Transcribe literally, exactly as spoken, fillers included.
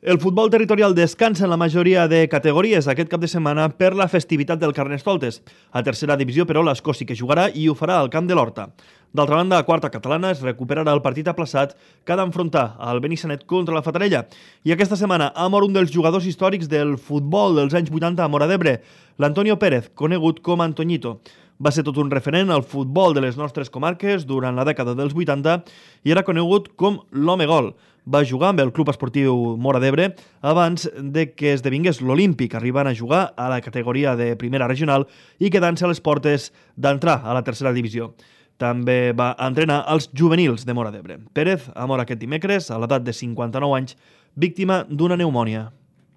El futbol territorial descansa en la majoria de categories aquest cap de setmana per la festivitat del Carnestoltes. A tercera divisió, però, l'Escó sí que jugarà i ho farà al camp de l'Horta. D'altra banda, a quarta catalana es recuperarà el partit aplaçat que ha d'enfrontar el Benissanet contra la Fatarella. I aquesta setmana ha mort un dels jugadors històrics del futbol dels anys vuitanta a Móra d'Ebre, l'Antonio Pérez, conegut com Antoñito. Va ser tot un referent al futbol de les nostres comarques durant la dècada dels vuitanta i era conegut com l'home gol. Va jugar amb el Club Esportiu Móra d'Ebre abans de que esdevingués l'Olímpic, arribant a jugar a la categoria de primera regional i quedant-se a les portes d'entrar a la tercera divisió. També va entrenar els juvenils de Móra d'Ebre. Pérez ha mort aquest dimecres a l'edat de cinquanta-nou anys, víctima d'una pneumònia.